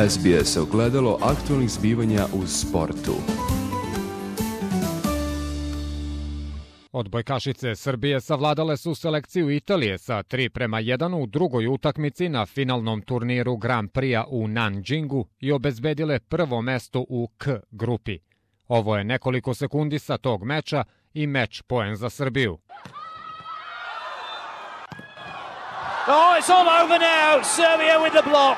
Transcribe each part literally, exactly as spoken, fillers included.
S B S ogledalo aktualnih zbivanja u sportu. Odbojkašice Srbije savladale su selekciju Italije sa tri prema jedan u drugoj utakmici na finalnom turniru Grand Prix-a u Nanjingu i obezbedile prvo mesto u K grupi. Ovo je nekoliko sekundi sa tog meča i meč poen za Srbiju. Oh, it's all over now. Serbia with the block.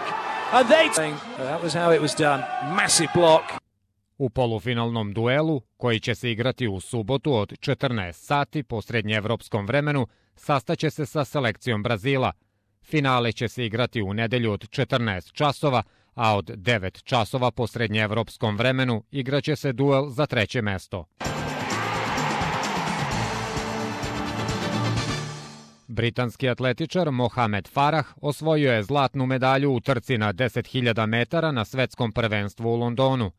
And they... That was how it was done. Massive block. U polufinalnom duelu, koji će se igrati u subotu od četrnaest sati po srednjeevropskom vremenu, sastaće se sa selekcijom Brazila. Finale će se igrati u nedelju od četrnaest časova, a od devet časova po srednjeevropskom vremenu igraće se duel za treće mesto. Britanski atletičar Mohamed Farah osvojio je zlatnu medalju u trci na deset hiljada metara na svetskom prvenstvu u Londonu.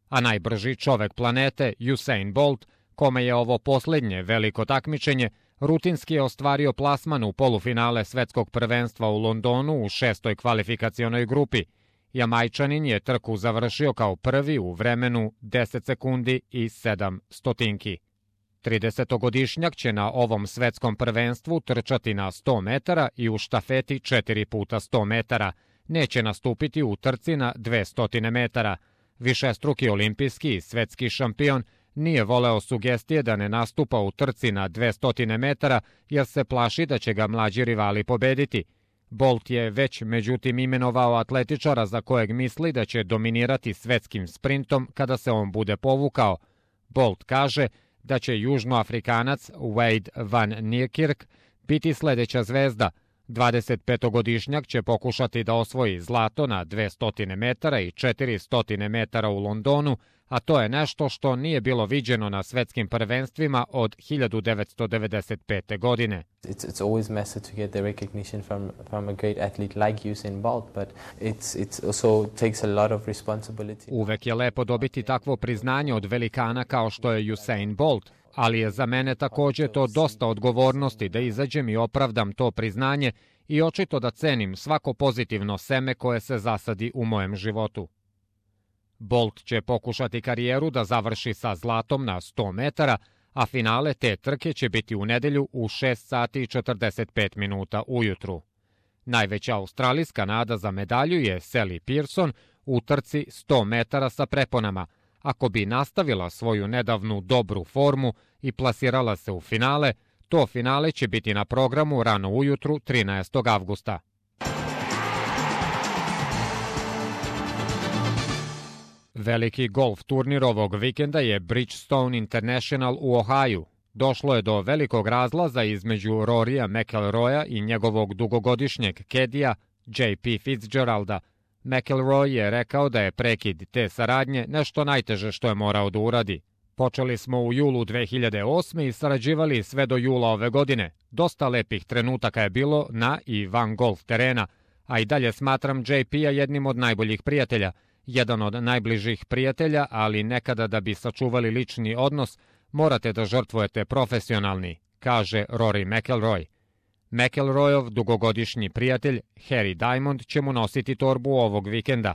A najbrži čovek planete, Usain Bolt, kome je ovo posljednje veliko takmičenje, rutinski je ostvario plasman u polufinale svetskog prvenstva u Londonu u šestoj kvalifikacionoj grupi. Jamajčanin je trku završio kao prvi u vremenu deset sekundi i sedam stotinki. tridesetogodišnjak će na ovom svetskom prvenstvu trčati na sto metara i u štafeti četiri puta sto metara. Neće nastupiti u trci na dvesta metara. Višestruki olimpijski i svetski šampion nije voleo sugestije da ne nastupa u trci na dvesta metara jer se plaši da će ga mlađi rivali pobediti. Bolt je već međutim imenovao atletičara za kojeg misli da će dominirati svetskim sprintom kada se on bude povukao. Bolt kaže da će južnoafrikanac Wade van Niekerk biti sledeća zvezda. dvadesetpetogodišnjak će pokušati da osvoji zlato na dvesta metara i četiristo metara u Londonu, a to je nešto što nije bilo viđeno na svetskim prvenstvima od hiljadu devetsto devedeset pete. godine. It's it's always massive to get the recognition from from a great athlete like Usain Bolt, but it's it's also takes a lot of responsibility. Uvek je lepo dobiti takvo priznanje od velikana kao što je Usain Bolt, ali je za mene takođe to dosta odgovornosti da izađem i opravdam to priznanje i očito da cenim svako pozitivno seme koje se zasadi u mojem životu. Bolt će pokušati karijeru da završi sa zlatom na sto metara, a finale te trke će biti u nedelju u šest sati i četrdeset pet minuta ujutru. Najveća australijska nada za medalju je Sally Pearson u trci sto metara sa preponama. Ako bi nastavila svoju nedavnu dobru formu i plasirala se u finale, to finale će biti na programu rano ujutru trinaestog avgusta. Veliki golf turnir ovog vikenda je Bridgestone International u Ohaju. Došlo je do velikog razlaza između Rorya McIlroya i njegovog dugogodišnjeg kedija J P Fitzgeralda. McIlroy je rekao da je prekid te saradnje nešto najteže što je morao da uradi. Počeli smo u julu dve hiljade osme i sarađivali sve do jula ove godine. Dosta lepih trenutaka je bilo na i van golf terena, a i dalje smatram J P-a jednim od najboljih prijatelja. Jedan od najbližih prijatelja, ali nekada da bi sačuvali lični odnos, morate da žrtvujete profesionalni, kaže Rory McIlroy. McIlroyov dugogodišnji prijatelj Harry Diamond će mu nositi torbu ovog vikenda.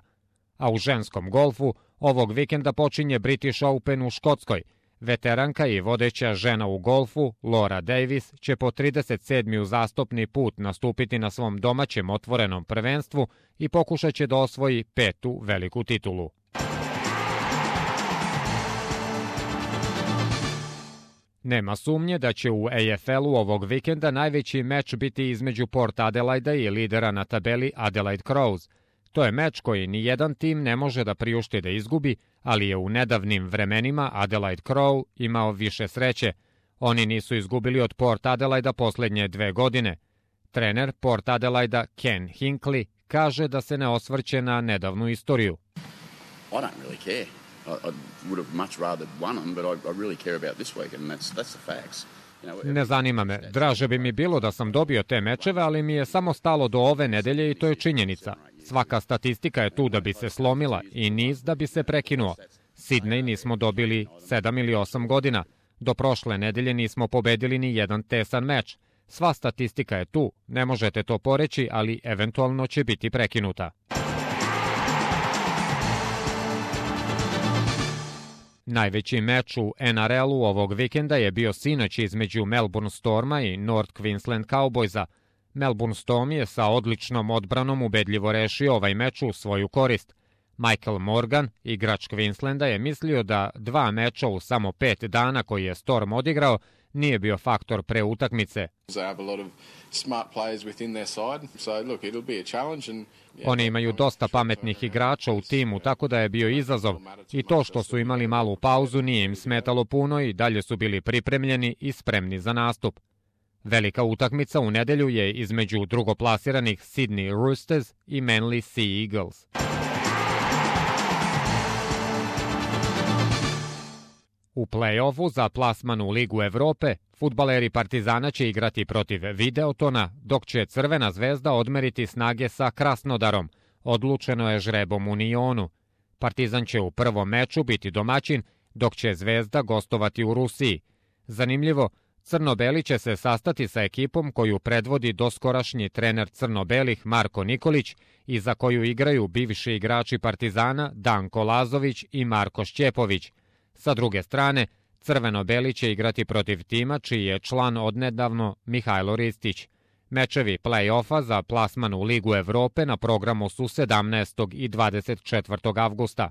A u ženskom golfu ovog vikenda počinje British Open u Škotskoj. Veteranka i vodeća žena u golfu, Laura Davis, će po trideset sedmi uzastopni put nastupiti na svom domaćem otvorenom prvenstvu i pokušat će da osvoji petu veliku titulu. Nema sumnje da će u A F L-u ovog vikenda najveći meč biti između Port Adelaida i lidera na tabeli Adelaide Crows. To je meč koji ni jedan tim ne može da priušti da izgubi, ali je u nedavnim vremenima Adelaide Crow imao više sreće. Oni nisu izgubili od Port Adelaida poslednje dve godine. Trener Port Adelaida Ken Hinkley kaže da se ne osvrće na nedavnu istoriju. I don't really care. I, I would have much rather won them, but I, I really care about this weekend, and that's, that's the facts. Ne zanima me. Draže bi mi bilo da sam dobio te mečeve, ali mi je samo stalo do ove nedelje i to je činjenica. Svaka statistika je tu da bi se slomila i niz da bi se prekinuo. Sidney nismo dobili sedam ili osam godina. Do prošle nedelje nismo pobedili ni jedan tesan meč. Sva statistika je tu, ne možete to poreći, ali eventualno će biti prekinuta. Najveći meč u N R L-u ovog vikenda je bio sinoć između Melbourne Storma i North Queensland Cowboysa. Melbourne Storm je sa odličnom odbranom ubedljivo rešio ovaj meč u svoju korist. Michael Morgan, igrač Queenslanda, je mislio da dva meča u samo pet dana koji je Storm odigrao nije bio faktor pre utakmice. Oni imaju dosta pametnih igrača u timu, tako da je bio izazov. I to što su imali malu pauzu nije im smetalo puno i dalje su bili pripremljeni i spremni za nastup. Velika utakmica u nedelju je između drugoplasiranih Sydney Roosters i Manly Sea Eagles. U play-offu za plasman u Ligu Evrope, fudbaleri Partizana će igrati protiv Videotona, dok će Crvena zvezda odmeriti snage sa Krasnodarom. Odlučeno je žrebom u Nionu. Partizan će u prvom meču biti domaćin, dok će Zvezda gostovati u Rusiji. Zanimljivo, Crno-beli će se sastati sa ekipom koju predvodi doskorašnji trener crno-belih Marko Nikolić i za koju igraju bivši igrači Partizana Danko Lazović i Marko Šćepović. Sa druge strane, Crveno-beli će igrati protiv tima čiji je član odnedavno Mihajlo Ristić. Mečevi play-offa za plasman u Ligu Evrope na programu su sedamnaestog i dvadeset četvrtog avgusta.